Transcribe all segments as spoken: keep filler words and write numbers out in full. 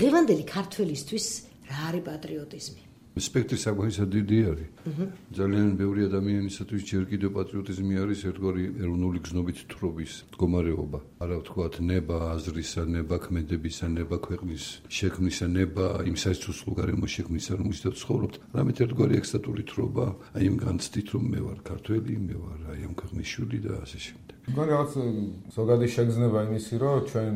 დღევანდელი ქართველისთვის რა არის პატრიოტიზმი? სპექტრი საკმაოდ დიდი არის. ძალიან ბევრი ადამიანისათვის ჯერ კიდევ პატრიოტიზმი არის ერთგვარი ეროვნული გზნობით თხრობის მდგომარეობა. არა ვთქვათ, ნება აზრისა, ნება ქმედებისა, ნება ქვეყნის შექმნისა, ნება იმ საერთო გარემოს შექმნისა, რომელშიც ცხოვრობთ. რამეთ ერთგვარი ექსტატური თხრობა, აი იმ განცდით, რომ მე ვარ ქართველი, მე ვარ აი ამ ქვეყნის შვილი და ასე შემდეგ. მგონი რაღაც ზოგადი შეგრძნება იმისი, რომ ჩვენ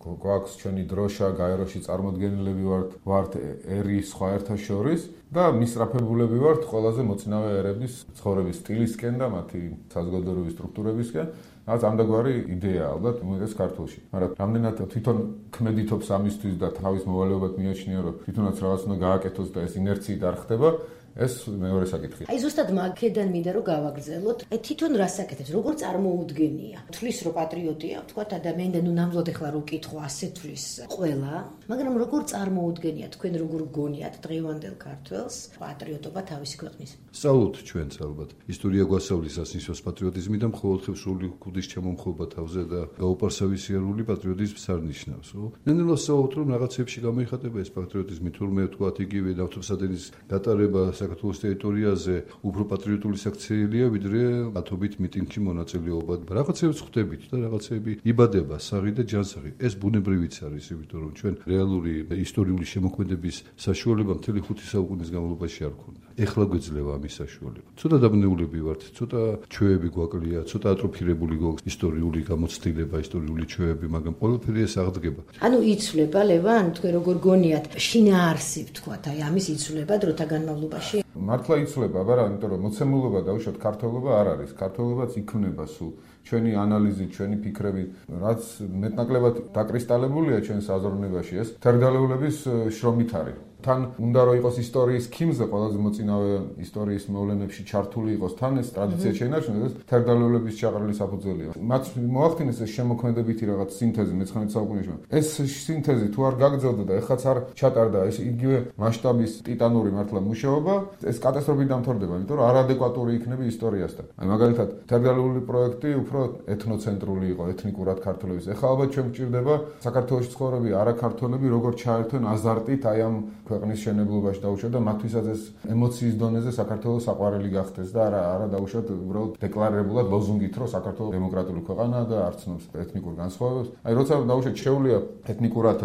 გვაქვს ჩვენი დროშა, გაეროში წარმოდგენილები ვართ, ვართ ერი სხვა ერთა შორის და მისწრაფებულები ვართ ყველაზე მოწინავე ერების ცხოვრების სტილისკენ და მათი საზოგადოებრივი სტრუქტურებისკენ. რაც ამდაგვარი იდეაა ალბათ უმეტეს ქართულში. მაგრამ რამდენად თვითონ ქმედითობს ამისთვის და თავის მოვალეობად მიაჩნია, რომ თვითონაც რაღაც უნდა გააკეთოს და ეს ინერციით არ ხდება, ეს მეორე საკითხია. აი ზუსტად მაგედან მინდა რომ გავაგრძელოთ. აი თვითონ რას აკეთებს, როგორ წარმოუდგენია? თვლის რომ პატრიოტია, ვთქვათ ადამიანი და ნუ ნამდვილად ახლა რო ვკითხო ასე თვლის ყველა, მაგრამ როგორ წარმოუდგენია თქვენ როგორ გგონიათ დღევანდელ ქართველს პატრიოტობა თავისი ქვეყნის? სწავლობთ ჩვენც ალბათ. ისტორია გვასწავლის ასნისოს პატრიოტიზმი და მხოლოდ სრული ქუდის ჩამომხობა თავზე და გაუპარსავისიერული პატრიოტიზმს არ ნიშნავს. ნელ-ნელა სწავლობთ რომ რაღაცებში გამოიხატება ეს პატრიოტიზმი, თურმე ვთქვათ იგივე ნავთობსადენის გატარება საქართველოს ტერიტორიაზე უფრო პატრიოტული საქციელია, ვიდრე ათობით მიტინგში მონაწილეობა. რაღაცებს ხვდებით და რაღაცები იბადება საღი და ჯანსაღი. ეს ბუნებრივიც არის, იმიტომ რომ ჩვენ რეალური ისტორიული შემოქმედების საშუალება მთელი ხუთი საუკუნის განმავლობაში არ ქონდა. ეხლა გვეძლევა ამის საშუალება. ცოტა დაბნეულები ვართ, ცოტა ჩვევები გვაკლია, ცოტა ატროფირებული გვაქვს ისტორიული გამოცდილება, ისტორიული ჩვევები, მაგრამ ყველაფერი ეს აღდგება. ანუ იცვლება ლევან, თქვენ როგორ გონიათ, შინაარსი ვთქვათ, აი ამის იცვლება დროთა განმავლობაში? მართლა იცვლება, არა, იმიტომ რომ მოცემულობა დაუშვათ ქართველობა არ არის. ქართველობაც იქმნება სულ ჩვენი ანალიზით, ჩვენი ფიქრებით, რაც მეტნაკლებად დაკრისტალებულია ჩვენს აზროვნებაში, ეს თერგდალეულების შრომით არის. თან უნდა რომ იყოს ისტორიის ქიმზე ყველაზე მოწინავე ისტორიის მოვლენებში ჩართული იყოს, თან ეს ტრადიცია შეინარჩუნოს, ეს თერგდალეულების ჩაყრილი საფუძველია. მათ მოახდინეს ეს შემოქმედებითი რაღაც სინთეზი მეცხრამეტე საუკუნეში. ეს სინთეზი თუ არ გაგრძელდა და ეხლაც არ ჩატარდა ეს იგივე მასშტაბის ტიტანური მართლა მუშაობა, ეს კატასტროფით დამთავრდება, იმიტომ რომ არადეკვატური იქნება ისტორიასთან. აი მაგალითად, თერგდალეული პროექტი უფრო ეთნოცენტრული იყო, ეთნიკურად ქართველების. ეხლა ალბათ ჩვენ გვჭირდება საქართველოში ცხოვრები არაქართველები როგორ ჩაერთვენ აზარტით აი ამ ქვეყნის შენებლობაში დაუშვათ და მათთვისაც ეს ემოციის დონეზე საქართველოს საყვარელი გახდეს და არა არა დაუშვათ უბრალოდ დეკლარირებულად ლოზუნგით, რომ საქართველოს დემოკრატიული ქვეყანაა და არ ცნობს ეთნიკურ განსხვავებებს. აი როცა დაუშვათ შეუძლია ეთნიკურად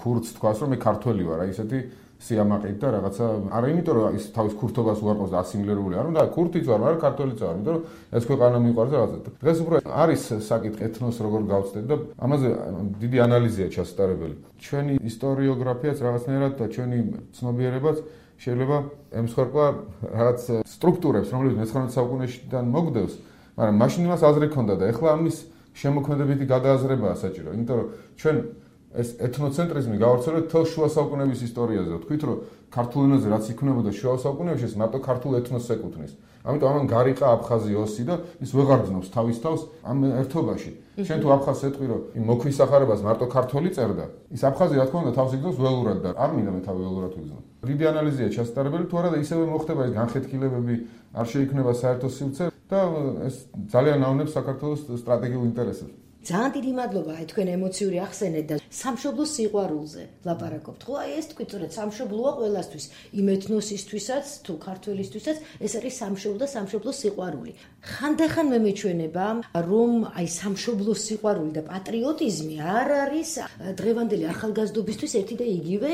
ქურდს თქვას, რომ მე ქართველი ვარ, აი ესეთი სიამაყით და რაღაცა არა იმიტომ რომ ის თავის ქურთობას უარყოს და ასიმილირებული არ უნდა ქურთიც ვარ, მაგრამ ქართველიც ვარ, იმიტომ რომ ეს ქვეყანა მიყვარს და რაღაცა. დღეს უფრო არის საკითხი ეთნოს როგორ გავწდეთ და ამაზე დიდი ანალიზია ჩასატარებელი. ჩვენი ისტორიოგრაფიაც რაღაცნაირად და ჩვენი ცნობიერებაც შეიძლება ემსხვერპლა რაღაც სტრუქტურებს, რომლებიც მეცხრამეტე საუკუნეშიდან მოგდევს, მაგრამ მაშინ მას აზრი ჰქონდა და ეხლა ამის შემოქმედებითი გადააზრებაა საჭირო, იმიტომ რომ ჩვენ ეს ეთნოცენტრიზმი გავავრცელეთ თელ შუა საუკუნეების ისტორიაზე. ვთქვით, რომ ქართულ ენაზე რაც იქმნებოდა შუა საუკუნეებში, ეს მარტო ქართულ ეთნოსს ეკუთვნის. ამიტომ ამან გარიყა აფხაზი ოსი და ის ვეღარ ძნობს თავის თავს ამ ერთობაში. შენ თუ აფხაზს ეტყვი, რომ იმ მოქვის სახარებას მარტო ქართველი წერდა, ის აფხაზი რა თქმა უნდა თავს იგზნობს ველურად და არ მინდა მე თავი ველურად ვიგზნო. დიდი ანალიზია ჩასატარებელი, თუ არა და ისევე მოხდება ეს განხეთქილებები, არ შეიქმნება საერთო სივრცე და ეს ძალიან ავნებს საქართველოს სტრატეგიულ ინტერესებს. ძალიან დიდი მადლობა აი თქვენ ემოციური ახსენეთ და სამშობლოს სიყვარულზე ლაპარაკობთ. ხო, აი ეს თქვით, რომ სამშობლოა ყველასთვის, იმ ეთნოსისთვისაც თუ ქართველისთვისაც ეს არის სამშობლო და სამშობლოს სიყვარული. ხანდახან მე მეჩვენება, რომ აი სამშობლოს სიყვარული და პატრიოტიზმი არ არის დღევანდელი ახალგაზრდობისთვის ერთი და იგივე.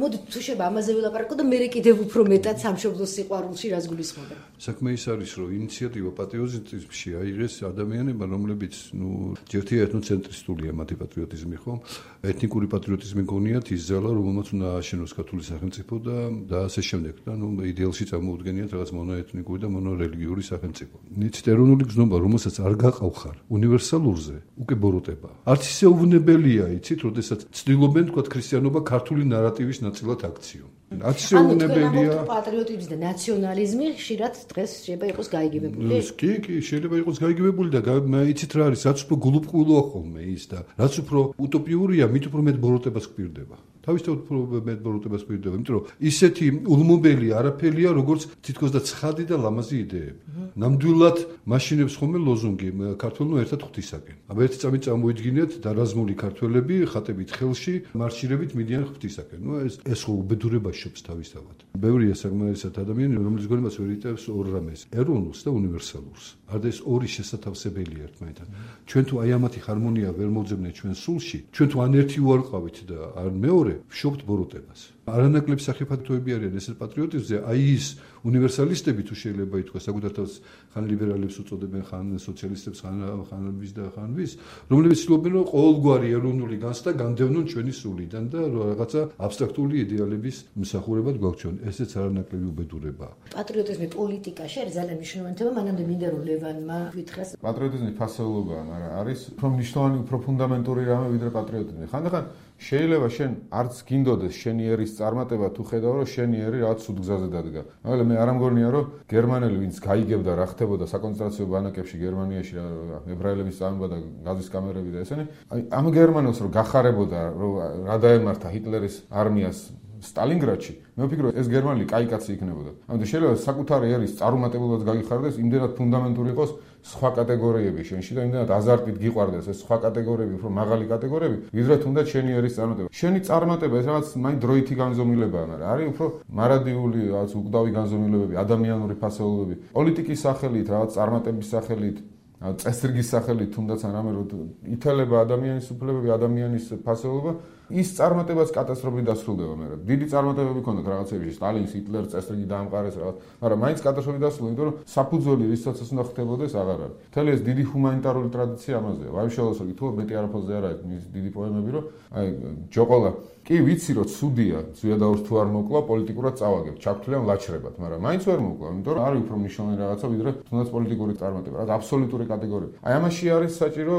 მოდით თუ შეიძლება ამაზე ვილაპარაკო და მე კიდევ უფრო მეტად სამშობლოს სიყვარულში რას გულისხმობენ. საქმე ის არის, რომ ინიციატივა პატრიოტიზმში აიღეს ადამიანებმა, რომლებიც ნუ ერთი ეთნოცენტრისტულია მათი პატრიოტიზმი, ხო? ეთნიკური პატრიოტიზმი გონიათ ის ძალა, რომელმაც უნდა ააშენოს ქართული სახელმწიფო და და ასე შემდეგ. და ნუ იდეალში წარმოუდგენიათ რაღაც მონოეთნიკური და მონორელიგიური სახელმწიფო. იცით, ეროვნული გზნობა, რომელსაც არ გაყავხარ უნივერსალურზე, უკვე ბოროტება. არც ისე უვნებელია, იცით, როდესაც ცდილობენ თქვა ქრისტიანობა ქართული ნარატივის ნაწილად აქციონ. არც ისე უვნებელია. ანუ პატრიოტიზმი და ნაციონალიზმი ხშირად დღეს შეიძლება იყოს გაიგებებული. კი, კი, შეიძლება იყოს გაიგებებული და იცით რა არის, რაც უფრო გულუბრყვილოა ხოლმე ის და რაც უფრო უტოპიურია, მით უფრო მეტ ბოროტებას გვპირდება. თავისთავად მეტბოროტებას გვირდება, იმიტომ რომ ისეთი ულმობელი არაფერია, როგორც თითქოს და ცხადი და ლამაზი იდეები. ნამდვილად მაშინებს ხომე ლოზუნგი ქართველნო ერთად ღვთისაკენ. აბა ერთი წამით წამოიდგინეთ დარაზმული ქართველები ხატებით ხელში მარშირებით მიდიან ღვთისაკენ. ნუ ეს ეს ხო უბედურება შობს თავისთავად. ბევრია საკმარისად ადამიანი, რომელიც გონებას ვერ იტევს ორ რამეს, ეროვნულს და უნივერსალურს. არდა ეს ორი შესათავსებელია ერთმანეთთან. ჩვენ თუ აი ამათი ჰარმონია ვერ მოძებნეთ ჩვენ სულში, ჩვენ თუ ან ერთი უარყავით და ან მეორე, ვშობთ ბოროტებას. არანაკლებ სახიფათოები არიან ეს პატრიოტიზმზე, აი ის უნივერსალისტები თუ შეიძლება ითქვას, საკუთარ თავს ხან ლიბერალებს უწოდებენ, ხან სოციალისტებს, ხან ხან ვის და ხან ვის, რომლებიც ცდილობენ რომ ყოველგვარი ეროვნული განცდა განდევნონ ჩვენი სულიდან და რაღაცა აბსტრაქტული იდეალების მსახურებად გვაქვს. ესეც არანაკლები უბედურებაა. პატრიოტიზმი პოლიტიკაში არის ძალიან მნიშვნელოვანი თემა, მანამდე მინდა რომ ლევანმა ვითხრას. პატრიოტიზმი ფასეულობაა, მაგრამ არის უფრო მნიშვნელოვანი, უფრო ფუნდამენტური რამე ვიდრე პატრიოტიზმი. ხანდახან შეიძლება შენ არც გინდოდეს შენი ერის წარმატება თუ ხედავ რომ შენი ერი რაღაც სულ გზაზე დადგა. მაგრამ მე არ ამგონია რომ გერმანელი ვინც გაიგებდა რა ხდებოდა საკონცენტრაციო ბანაკებში გერმანიაში ებრაელების წამება და გაზის კამერები და ესენი, აი ამ გერმანელს რომ გახარებოდა რომ რა დაემართა ჰიტლერის არმიას სტალინგრადში, მე ვფიქრობ ეს გერმანელი კაი კაცი იქნებოდა. ამიტომ შეიძლება საკუთარი ერის წარუმატებლობას გაგიხარდეს, იმდენად ფუნდამენტური იყოს სხვა კატეგორიები შენში და იმდენად აზარტით გიყვარდეს ეს სხვა კატეგორიები, უფრო მაღალი კატეგორიები, ვიდრე თუნდაც შენი ერის წარმატება. შენი წარმატება ეს რაღაც მაინც დროითი განზომილებაა, მაგრამ არის უფრო მარადიული, რაღაც უკვდავი განზომილებები, ადამიანური ფასეულობები, პოლიტიკის სახელით, რაღაც წარმატების სახელით, წესრიგის სახელით, თუნდაც რამე რომ ითელება ადამიანის უფლებები, ადამიანის ფასეულობა, ის წარმატებაც კატასტროფით დასრულდება მე. დიდი წარმატებები ქონდათ რაღაცებში, სტალინს, ჰიტლერს წესრიგი დაამყარეს რაღაც, მაგრამ მაინც კატასტროფით დასრულდა, იმიტომ რომ საფუძველი რისაც ეს უნდა ხდებოდეს აღარ არის. მთელი ეს დიდი ჰუმანიტარული ტრადიცია ამაზეა. ვაიშალოსო თუ მეტი არაფერზე არ არის მის დიდი პოემები, რომ აი ჯოყოლა კი ვიცი რომ ცუდია, ზვიადაურს თუ არ მოკლა, პოლიტიკურად წავაგებ, ჩაგვთვლიან ლაჩრებად, მაგრამ მაინც ვერ მოკლა, იმიტომ რომ არის უფრო მნიშვნელოვანი რაღაცა, ვიდრე თუნდაც პოლიტიკური წარმატება, რაც აბსოლუტური კატეგორია. აი ამაში არის საჭირო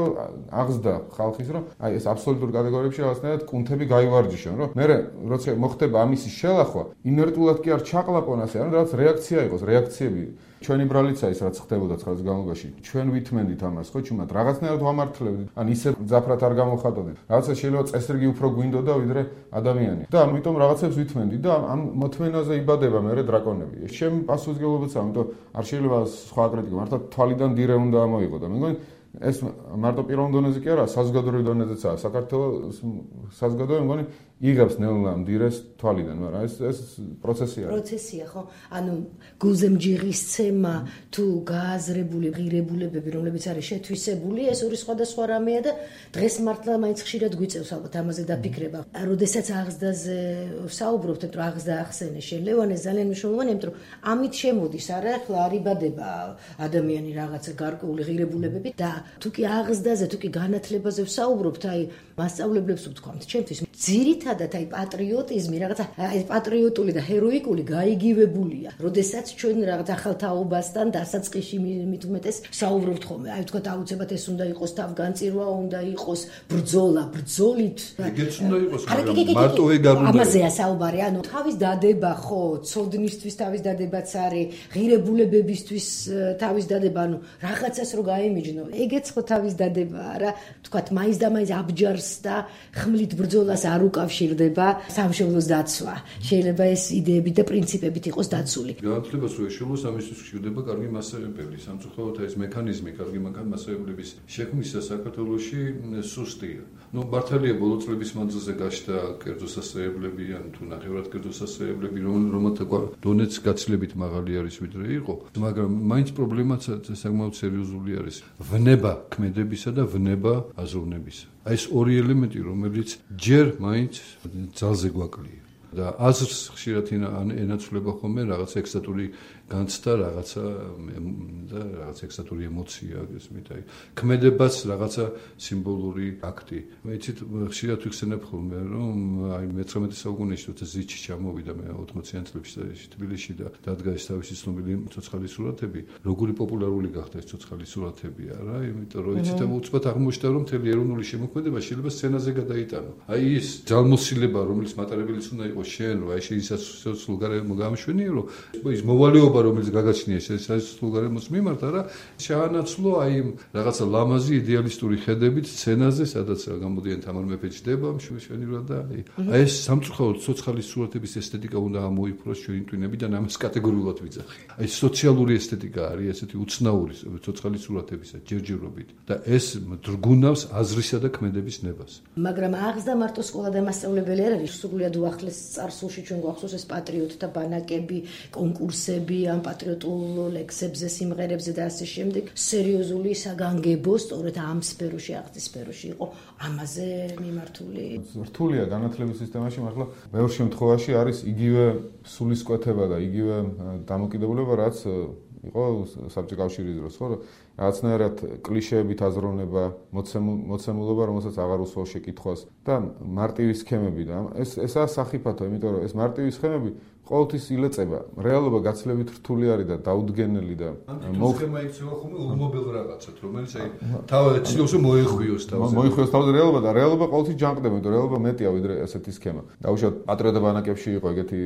აღზრდა ხალხის, რომ აი ეს აბსოლუტური კატეგორიებში რაღაცნაირად კუნთები გაივარჯიშონ, რომ მე როცა მოხდება ამისი შელახვა, ინერტულად კი არ ჩაყლაპონ ასე, ანუ რაღაც რეაქცია იყოს, რეაქციები. ჩვენი ბრალიცა ის რაც ხდებოდა ცხრა წლის განმავლობაში, ჩვენ ვითმენდით ამას, ხო, ჩუმად რაღაცნაირად ვამართლებდით, ან ისე ძაფრად არ გამოხატოდით. რაღაცა შეიძლება წესრიგი უფრო გვინდოდა ვიდრე ადამიანი. და ამიტომ რაღაცებს ვითმენდით და ამ მოთმენაზე იბადება მერე დრაკონები. ჩემი პასუხისმგებლობაც ამიტომ არ შეიძლება სხვა კრიტიკა, მართლა თვალიდან დირე უნდა ამოიღო და მე მგონი ეს მარტო პირველ დონეზე კი არა, საზოგადოებრივ დონეზეცაა. საქართველოს საზოგადოება მგონი იღებს ნელა მდირეს თვალიდან, მაგრამ ეს ეს პროცესია. პროცესია, ხო? ანუ გულზემჯიღისცემა თუ გააზრებული ღირებულებები, რომლებიც არის შეთვისებული, ეს ორი სხვადასხვა რამეა და დღეს მართლა მაინც ხშირად გვიწევს ალბათ ამაზე დაფიქრება. როდესაც აღზრდაზე ვსაუბრობთ, რომ აღზრდა ახსენე შენ ლევანე ძალიან მნიშვნელოვანია, იმიტომ რომ ამით შემოდის არა ახლა არ იბადება ადამიანი რაღაცა გარკვეული ღირებულებები და თუ კი აღზრდაზე, თუ კი განათლებაზე ვსაუბრობთ, აი მასწავლებლებს ვთქვამთ, ჩემთვის ძირითადად აი პატრიოტიზმი რაღაცა აი პატრიოტული და ჰეროიკული გაიგივებულია. როდესაც ჩვენ რაღაც ახალ თაობასთან დასაწყისში მით უმეტეს საუბრობთ ხოლმე. აი ვთქვათ აუცილებლად ეს უნდა იყოს თავგანწირვა, უნდა იყოს ბრძოლა, ბრძოლით. ეგეც უნდა იყოს, მაგრამ მარტო ეგ არ უნდა. ამაზეა საუბარი, ანუ თავის დადება ხო, ცოდნისთვის თავის დადებაც არის, ღირებულებებისთვის თავის დადება, ანუ რაღაცას რო გაემიჯნო. ეგეც ხო თავის დადებაა რა. ვთქვათ მაინც და მაინც აბჯარს და ხმლით ბრძოლას არ უკავშირდება სამშობლოს დაცვა. შეიძლება ეს იდეები და პრინციპებით იყოს დაცული. განათლებას რო ეშველოს ამისთვის გვჭირდება კარგი მასწავლებელი. სამწუხაროდ ეს მექანიზმი კარგი მასწავლებლების შექმნისა საქართველოში სუსტია. ნუ მართალია ბოლო წლების მანძილზე გაჩნდა კერძო სასწავლებლები ან თუ ნახევრად კერძო სასწავლებლები, რომელთა დონეც გაცილებით მაღალი არის ვიდრე იყო, მაგრამ მაინც პრობლემაც საკმაოდ სერიოზული არის. ვნება ქმედებისა და ვნება აზროვნებისა. აი ეს ორი ელემენტი, რომელიც ჯერ მაინც ძალზე გვაკლია და აზრს ხშირად ენაცვლება ხოლმე რაღაც ექსტატური განცდა, რაღაცა და რაღაც ექსტატური ემოცია, გესმით, აი ქმედებას რაღაცა სიმბოლური აქტი. მე იცით ხშირად ვიხსენებ ხოლმე, რომ აი მეცხრამეტე საუკუნეში როცა ზიჩი ჩამოვიდა მე ოცდაათიან წლებში თბილისში და დადგა ეს თავისი ცნობილი ცოცხალი სურათები, როგორი პოპულარული გახდა ეს ცოცხალი სურათები, არა, იმიტომ რომ იცით უცბად აღმოჩნდა, რომ მთელი ეროვნული შემოქმედება შეიძლება სცენაზე გადაიტანო. აი ის ძალმოსილება, რომელიც მატარებელიც უნდა იყოს იყო შენ, რა შეიძლება სულგარემო გამშვენიო, რომ ის მოვალეობა რომელიც გაგაჩნია ეს სულგარემოს მიმართ, არა, შეანაცვლო აი რაღაცა ლამაზი იდეალისტური ხედებით სცენაზე, სადაც გამოდიან თამარ მეფე ჯდება, მშვენივრად და აი ეს სამწუხაროდ ცოცხალის სურათების ესთეტიკა უნდა ამოიფროს ჩვენი ტვინებიდან, ამას კატეგორიულად ვიძახი. აი სოციალური ესთეტიკა არის ესეთი უცნაური ცოცხალის სურათებისა ჯერჯერობით და ეს დრგუნავს აზრისა და ქმედების ნებას. მაგრამ აღზრდა მარტო სკოლა და მასწავლებელი არ არის, სრულიად უახლეს წარსულში ჩვენ გვახსოვს ეს პატრიოტთა ბანაკები, კონკურსები ამ პატრიოტულ ლექსებზე, სიმღერებზე და ასე შემდეგ. სერიოზული საგანგებო სწორედ ამ სფეროში, აღზრდის სფეროში იყო ამაზე მიმართული. რთულია განათლების სისტემაში, მაგრამ ბევრ შემთხვევაში არის იგივე სულისკვეთება და იგივე დამოკიდებულება, რაც იყო საბჭოთა კავშირის დროს, ხო? რაღაცნაირად კლიშეებით აზროვნება, მოცემულობა, რომელსაც აღარ უსვამს შეკითხვას და მარტივი სქემები და ეს ესაა სახიფათო, იმიტომ რომ ეს მარტივი სქემები ყოველთვის ილეწება. რეალობა გაცილებით რთული არის და დაუდგენელი და მოხდება იქცევა ხოლმე ულმობელ რაღაცად, რომელიც აი თავად ცდილობს რომ მოეხვიოს თავზე. მოეხვიოს თავზე რეალობა და რეალობა ყოველთვის ჯანყდება, იმიტომ რომ რეალობა მეტია ვიდრე ესეთი სქემა. დაუშვათ პატრიოტთა ბანაკებში იყო ეგეთი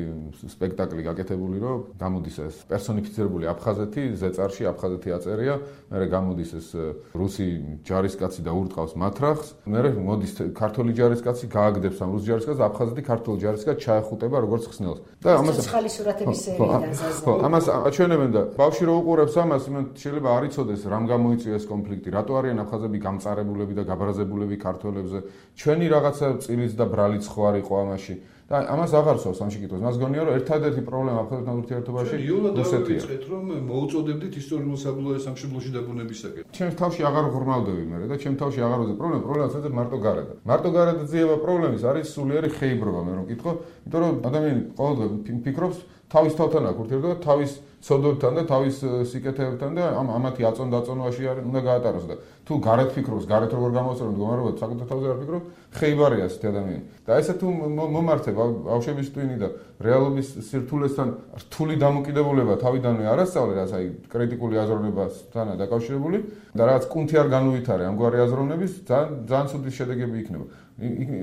სპექტაკლი გაკეთებული, რომ გამოდის ეს პერსონიფიცირებული აფხაზეთი, ზეწარში აფხაზეთი აწერია, მერე გამოდის ეს რუსი ჯარისკაცი და ურტყავს მათრახს, მერე მოდის ქართული ჯარისკაცი, გააგდებს ამ რუს ჯარისკაცს, აფხაზეთი ქართული ჯარისკაცი ჩაეხუტება როგორც ხსნელს. და ცოცხალი სურათების სერიიდან ზაზე. ხო, ამას აჩვენებენ და ბავშვი რო უყურებს ამას, შეიძლება არ იცოდეს რამ გამოიწვია ეს კონფლიქტი, რატო არიან აფხაზები გამწარებულები და გაბრაზებულები ქართველებზე. ჩვენი რაღაცა წილიც და ბრალიც ხო არ იყო ამაში. და ამას აღარ სვავს ამ შეკითხვას. მას გონია რომ ერთადერთი პრობლემა აფხაზეთთან ურთიერთობაში რუსეთია. რომ მოუწოდებდით ისტორიულ საბრძოლო სამშობლოში დაბრუნებისაკენ. ჩემს თავში აღარ ღრმავდები მე და ჩემს თავში აღარ ვზე პრობლემა, პრობლემა საერთოდ მარტო გარდა. მარტო გარდა ძიება პრობლემის არის სულიერი ხეიბრობა, მე რომ მკითხო, იმიტომ რომ ადამიანი ყოველდღე ფიქრობს თავის თავთან აქვს ურთიერთობა, თავის ცოდვებთან და თავის სიკეთეებთან და ამ ამათი აწონ დაწონვაში არის უნდა გაატაროს და თუ გარეთ ფიქრობს, გარეთ როგორ გამოსწორებს მდგომარეობა, საკუთარ თავზე არ ფიქრობს, ხეიბარია ასეთი ადამიანი. და ესე თუ მომართება ბავშვების ტვინი და რეალობის სირთულესთან რთული დამოკიდებულება თავიდანვე არასწავლე, რაც აი კრიტიკული აზროვნებასთან დაკავშირებული და რაც კუნთი არ განუვითარე ამგვარი აზროვნების, ძალიან ძალიან ცუდი შედეგები იქნება.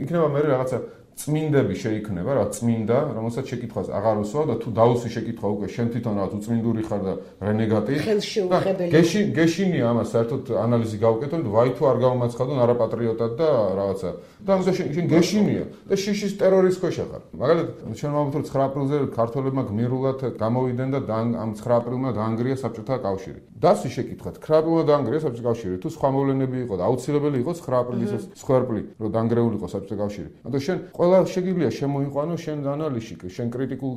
იქნება მე რაღაცა წმინდები შეიქმნება, რა წმინდა, რომელსაც შეკითხვას აღარ უსვა და თუ დაუსვი შეკითხვა უკვე შენ თვითონ რაღაც უწმინდური ხარ და რენეგატი. ხელშეუხებელი. გეში გეშინია ამას საერთოდ ანალიზი გავუკეთო და ვაი თუ არ გავამაცხადონ არაპატრიოტად და რაღაცა. და ამას შენ გეშინია და შიშის ტერორის ქვეშ ხარ. მაგალითად, ჩვენ ვამბობთ რომ ცხრა აპრილზე ქართველებმა გმირულად გამოვიდნენ და ამ ცხრა აპრილმა დაანგრია საბჭოთა კავშირი. დასვი შეკითხვა, ცხრა აპრილმა დაანგრია საბჭოთა კავშირი, თუ სხვა მოვლენები იყო და აუცილებელი იყო ცხრა აპრილის სხერპლი, რომ დაანგრეული იყო საბჭოთა კავშირი. ანუ შენ ყველა შეგიძლია შემოიყვანო შენ ანალიზში, შენ კრიტიკულ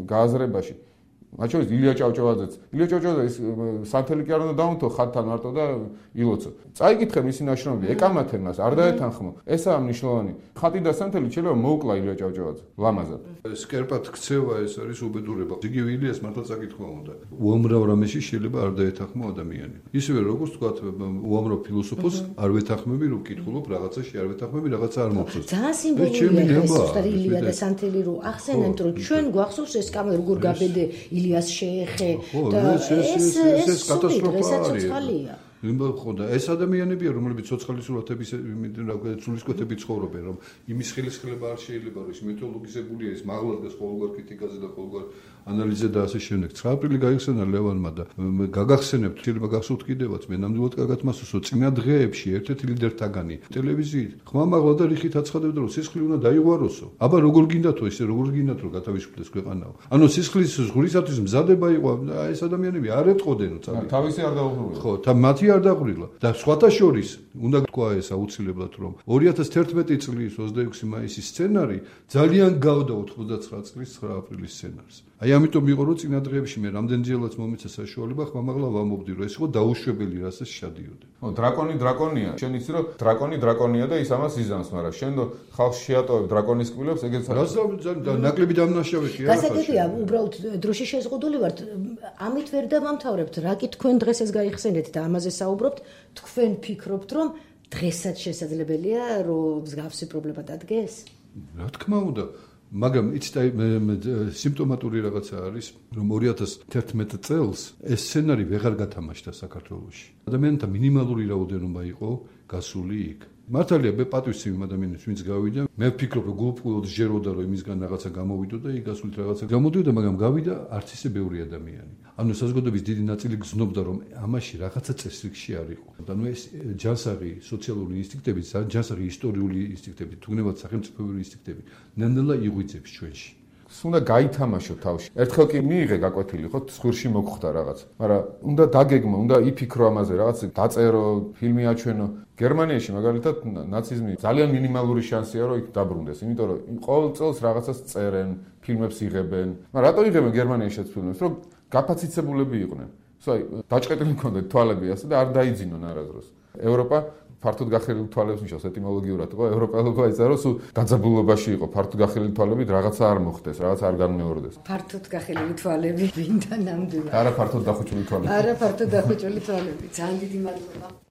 გააზრებაში. მათ შორის ილია ჭავჭავაძეც. ილია ჭავჭავაძე ის სანთელი კი არ უნდა დაუნთო ხათთან მარტო და ილოცო. წაიკითხე მისი ნაშრომები, ეკამათე მას, არ დაეთანხმო. ესაა მნიშვნელოვანი. ხატი და სანთელი შეიძლება მოუკლა ილია ჭავჭავაძე. ლამაზად. სკერპად ქცევა ეს არის უბედურება. იგივე ილიას მართლა წაკითხვა უნდა. უამრავ რამეში შეიძლება არ დაეთანხმო ადამიანი. ისევე როგორც თქვა უამრავ ფილოსოფოს არ ვეთანხმები რომ ვკითხულობ რაღაცაში არ ვეთანხმები რაღაცა არ მოგწონს. ძალიან სიმბოლურია ეს ზუსტად ილია და სანთელი რო ახსენებთ რომ ჩვენ გვახსოვს ეს კამერა როგორ გაბედე ილიას შეეხე და ეს ეს კატასტროფაა. ხო და ეს ადამიანებია რომლებიც ცოცხალი სურათების სულისკვეთები ცხოვრობენ რომ იმის ხელისხლება არ შეიძლება რომ ის მითოლოგიზებულია ის მაღლადას ყოველგვარ კრიტიკაზე და ყოველგვარ ანალიზზე და ასე შემდეგ. ცხრა აპრილი გაიხსენა ლევანმა და გაგახსენებთ შეიძლება გახსოვთ კიდევაც მე ნამდვილად კარგად მასუსო წინა დღეებში ერთ-ერთი ლიდერთაგანი ტელევიზიით ხმამაღლა და რიხით აცხადებდა რომ სისხლი უნდა დაიღვაროსო. აბა როგორ გინდათო ესე როგორ გინდათ რომ გათავისუფლდეს ქვეყანაო. ანუ სისხლის ზღვრისათვის მზადება იყო ეს ადამიანები არ ეტყოდენო წადი. თავისი არ დაუღრულა. ხო და მათი არ დაღვრილა და სხვათა შორის უნდა თქვა ეს აუცილებლად რომ ორი ათას თერთმეტი წლის ოცდაექვსი მაისის სცენარი ძალიან გავდა ოცდაცხრა წლის ცხრა აპრილის სცენარს. აი ამიტომ იყო რომ წინა დღეებში მე რამდენჯერაც მომეცა საშუალება ხმამაღლა ვამობდი რომ ეს იყო დაუშვებელი რასაც შადიოდა. ხო დრაკონი დრაკონია. შენ იცი რომ დრაკონი დრაკონია და ის ამას იზამს, მაგრამ შენ ხალხს შეატოვებ დრაკონის კბილებს, ეგეც რა ნაკლები დამნაშავეში არა. გასაგებია, უბრალოდ დროში შეზღუდული ვართ. ამით ვერ დავამთავრებთ, რა კი თქვენ დღეს ეს გაიხსენეთ და ამაზე საუბრობთ, თქვენ ფიქრობთ რომ დღესაც შესაძლებელია რომ მსგავსი პრობლემა დადგეს? რა თქმა უნდა. მაგრამ იცით აი სიმპტომატური რაღაცა არის რომ ორი ათას თერთმეტი წელს ეს სცენარი ვეღარ გათამაშდა საქართველოში. ადამიანთა მინიმალური რაოდენობა იყო გასული იქ. მართალია მე პატივცემი ადამიანებს ვინც გავიდა მე ვფიქრობ რომ გულწრფელად ჯეროდა რომ იმისგან რაღაცა გამოვიდო და იგასულით რაღაცა გამოდიოდა მაგრამ გავიდა არც ისე ბევრი ადამიანი ანუ საზოგადოების დიდი ნაწილი გზნობდა რომ ამაში რაღაცა წესრიგში არ იყო ანუ ეს ჯანსაღი სოციალური ინსტინქტები ჯანსაღი ისტორიული ინსტინქტები თუნდაც სახელმწიფოებრივი ინსტინქტები ნამდვილად იღვიძებს ჩვენში უნდა გაითამაშო თავში. ერთხელ კი მიიღე გაკვეთილი, ხო, ცხვირში მოგხვდა რაღაც. მაგრამ უნდა დაგეგმო, უნდა იფიქრო ამაზე, რაღაც დაწერო, ფილმი აჩვენო. გერმანიაში მაგალითად ნაციზმი ძალიან მინიმალური შანსია რომ იქ დაბრუნდეს, იმიტომ რომ ყოველ წელს რაღაცას წერენ, ფილმებს იღებენ. მაგრამ რატო იღებენ გერმანიაშიც ფილმებს? რომ გაფაციცებულები იყვნენ. სულ დაჭყეტილი მქონდათ თვალები ასე და არ დაიძინონ არასდროს. ევროპა ფართოდ გახელილი თვალებს ნიშნავს ეტიმოლოგიურად, ხო? ევროპელობა იცოდა რომ სულ დაძაბულობაში იყო, ფართოდ გახელილი თვალებით რაღაცა არ მოხდეს, რაღაცა არ განმეორდეს. ფართოდ გახელილი თვალები, ვინდა ნამდვილად. არა ფართოდ დახუჭული თვალები. არა ფართოდ დახუჭული თვალები. ძალიან დიდი მადლობა.